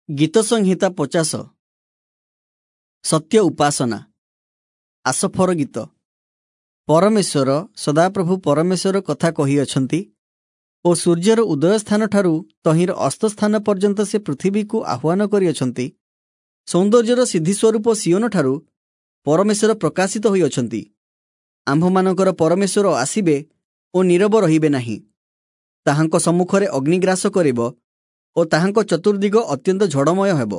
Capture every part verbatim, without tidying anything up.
ଗୀତସଂହିତା ପଚାଶ। ସତ୍ୟ ଉପାସନା। ଆସଫର ଗୀତ। ପରମେଶ୍ୱର ସଦାପ୍ରଭୁ ପରମେଶ୍ୱର କଥା କହିଅଛନ୍ତି ଓ ସୂର୍ଯ୍ୟର ଉଦୟସ୍ଥାନଠାରୁ ତହିଁର ଅସ୍ତସ୍ଥାନ ପର୍ଯ୍ୟନ୍ତ ସେ ପୃଥିବୀକୁ ଆହ୍ୱାନ କରିଅଛନ୍ତି। ସୌନ୍ଦର୍ଯ୍ୟର ସିଦ୍ଧିସ୍ୱରୂପ ସିୟୋନଠାରୁ ପରମେଶ୍ୱର ପ୍ରକାଶିତ ହୋଇଅଛନ୍ତି। ଆମ୍ଭମାନଙ୍କର ପରମେଶ୍ୱର ଆସିବେ ଓ ନୀରବ ରହିବେ ନାହିଁ। ତାହାଙ୍କ ସମ୍ମୁଖରେ ଅଗ୍ନିଗ୍ରାସ କରିବ ଓ ତାହାଙ୍କ ଚତୁର୍ଦିଗ ଅତ୍ୟନ୍ତ ଝଡ଼ମୟ ହେବ।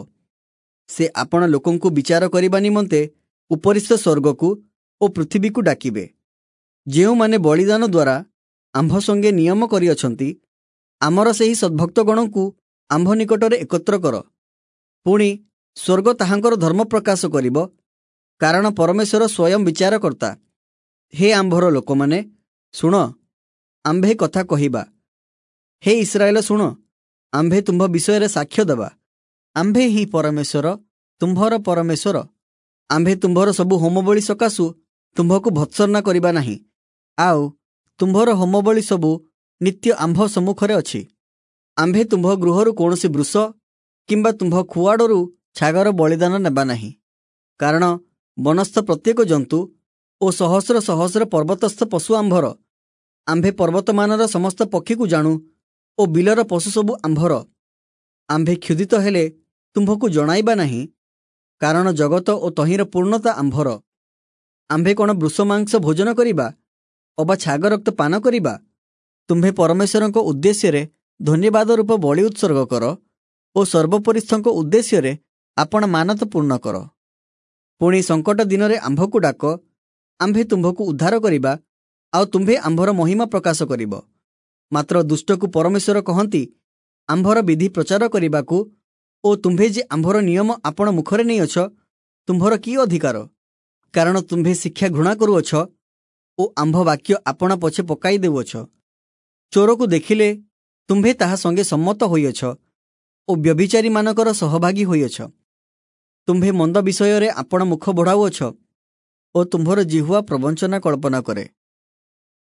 ସେ ଆପଣା ଲୋକଙ୍କୁ ବିଚାର କରିବା ନିମନ୍ତେ ଉପରିସ୍ଥ ସ୍ୱର୍ଗକୁ ଓ ପୃଥିବୀକୁ ଡାକିବେ। ଯେଉଁମାନେ ବଳିଦାନ ଦ୍ୱାରା ଆମ୍ଭ ସଙ୍ଗେ ନିୟମ କରିଅଛନ୍ତି, ଆମର ସେହି ସଦ୍ଭକ୍ତଗଣଙ୍କୁ ଆମ୍ଭ ନିକଟରେ ଏକତ୍ର କର। ପୁଣି ସ୍ୱର୍ଗ ତାହାଙ୍କର ଧର୍ମ ପ୍ରକାଶ କରିବ, କାରଣ ପରମେଶ୍ୱର ସ୍ୱୟଂ ବିଚାରକର୍ତ୍ତା। ହେ ଆମ୍ଭର ଲୋକମାନେ, ଶୁଣ, ଆମ୍ଭେ କଥା କହିବା। ହେ ଇସ୍ରାଏଲ, ଶୁଣ, ଆମ୍ଭେ ତୁମ୍ଭ ବିଷୟରେ ସାକ୍ଷ୍ୟ ଦେବା। ଆମ୍ଭେ ହିଁ ପରମେଶ୍ୱର, ତୁମ୍ଭର ପରମେଶ୍ୱର। ଆମ୍ଭେ ତୁମ୍ଭର ସବୁ ହୋମବଳି ସକାଶୁ ତୁମ୍ଭକୁ ଭତ୍ସନା କରିବା ନାହିଁ, ଆଉ ତୁମ୍ଭର ହୋମବଳି ସବୁ ନିତ୍ୟ ଆମ୍ଭ ସମ୍ମୁଖରେ ଅଛି। ଆମ୍ଭେ ତୁମ୍ଭ ଗୃହରୁ କୌଣସି ବୃଷ କିମ୍ବା ତୁମ୍ଭ ଖୁଆଡ଼ରୁ ଛାଗର ବଳିଦାନ ନେବା ନାହିଁ, କାରଣ ବନସ୍ଥ ପ୍ରତ୍ୟେକ ଜନ୍ତୁ ଓ ସହସ୍ର ସହସ୍ର ପର୍ବତସ୍ଥ ପଶୁ ଆମ୍ଭର। ଆମ୍ଭେ ପର୍ବତମାନର ସମସ୍ତ ପକ୍ଷୀକୁ ଜାଣୁ ଓ ବିଲର ପଶୁ ସବୁ ଆମ୍ଭର। ଆମ୍ଭେ କ୍ଷୁଧିତ ହେଲେ ତୁମ୍ଭକୁ ଜଣାଇବା ନାହିଁ, କାରଣ ଜଗତ ଓ ତହିଁର ପୂର୍ଣ୍ଣତା ଆମ୍ଭର। ଆମ୍ଭେ କ'ଣ ବୃଷ ମାଂସ ଭୋଜନ କରିବା ଅବା ଛାଗ ରକ୍ତ ପାନ କରିବା? ତୁମ୍ଭେ ପରମେଶ୍ୱରଙ୍କ ଉଦ୍ଦେଶ୍ୟରେ ଧନ୍ୟବାଦ ରୂପ ବଳି ଉତ୍ସର୍ଗ କର ଓ ସର୍ବୋପରିସ୍ଥଙ୍କ ଉଦ୍ଦେଶ୍ୟରେ ଆପଣା ମାନତ ପୂର୍ଣ୍ଣ କର। ପୁଣି ସଙ୍କଟ ଦିନରେ ଆମ୍ଭକୁ ଡାକ, ଆମ୍ଭେ ତୁମ୍ଭକୁ ଉଦ୍ଧାର କରିବା, ଆଉ ତୁମ୍ଭେ ଆମ୍ଭର ମହିମା ପ୍ରକାଶ କରିବ। ମାତ୍ର ଦୁଷ୍ଟକୁ ପରମେଶ୍ୱର କହନ୍ତି, ଆମ୍ଭର ବିଧି ପ୍ରଚାର କରିବାକୁ ଓ ତୁମ୍ଭେ ଯେ ଆମ୍ଭର ନିୟମ ଆପଣ ମୁଖରେ ନେଇଅଛ, ତୁମ୍ଭର କି ଅଧିକାର? କାରଣ ତୁମ୍ଭେ ଶିକ୍ଷା ଘୃଣା କରୁଅଛ ଓ ଆମ୍ଭ ବାକ୍ୟ ଆପଣା ପଛେ ପକାଇ ଦେଉଅଛ। ଚୋରକୁ ଦେଖିଲେ ତୁମ୍ଭେ ତାହା ସଙ୍ଗେ ସମ୍ମତ ହୋଇଅଛ ଓ ବ୍ୟଭିଚାରୀମାନଙ୍କର ସହଭାଗୀ ହୋଇଅଛ। ତୁମ୍ଭେ ମନ୍ଦ ବିଷୟରେ ଆପଣ ମୁଖ ବଢ଼ାଉଅଛ ଓ ତୁମ୍ଭର ଜିହ୍ୱା ପ୍ରବଞ୍ଚନା କଳ୍ପନା କରେ।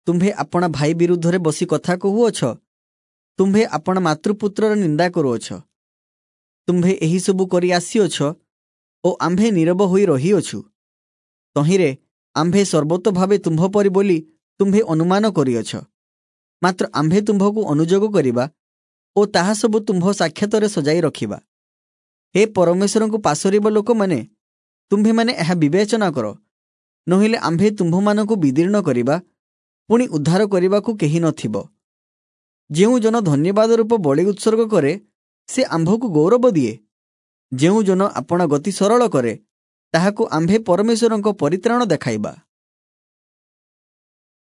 ତୁମ୍ଭେ ଆପଣା ଭାଇ ବିରୁଦ୍ଧରେ ବସି କଥା କହୁଅଛ, ତୁମ୍ଭେ ଆପଣା ମାତୃପୁତ୍ରର ନିନ୍ଦା କରୁଅଛ। ତୁମ୍ଭେ ଏହିସବୁ କରି ଆସିଅଛ ଓ ଆମ୍ଭେ ନୀରବ ହୋଇ ରହିଅଛୁ। ତହିଁରେ ଆମ୍ଭେ ସର୍ବତୋଭାବେ ତୁମ୍ଭ ପରି ବୋଲି ତୁମ୍ଭେ ଅନୁମାନ କରିଅଛ। ମାତ୍ର ଆମ୍ଭେ ତୁମ୍ଭକୁ ଅନୁଯୋଗ କରିବା ଓ ତାହା ସବୁ ତୁମ୍ଭ ସାକ୍ଷାତରେ ସଜାଇ ରଖିବା। ହେ ପରମେଶ୍ୱରଙ୍କୁ ପାଶୋରିବା ଲୋକମାନେ, ତୁମ୍ଭେମାନେ ଏହା ବିବେଚନା କର, ନୋହିଲେ ଆମ୍ଭେ ତୁମ୍ଭମାନଙ୍କୁ ବିଦୀର୍ଣ୍ଣ କରିବା, ପୁଣି ଉଦ୍ଧାର କରିବାକୁ କେହି ନଥିବ। ଯେଉଁ ଜନ ଧନ୍ୟବାଦ ରୂପ ବଳି ଉତ୍ସର୍ଗ କରେ, ସେ ଆମ୍ଭକୁ ଗୌରବ ଦିଏ। ଯେଉଁ ଜନ ଆପଣା ଗତି ସରଳ କରେ, ତାହାକୁ ଆମ୍ଭେ ପରମେଶ୍ୱରଙ୍କ ପରିତ୍ରାଣ ଦେଖାଇବା।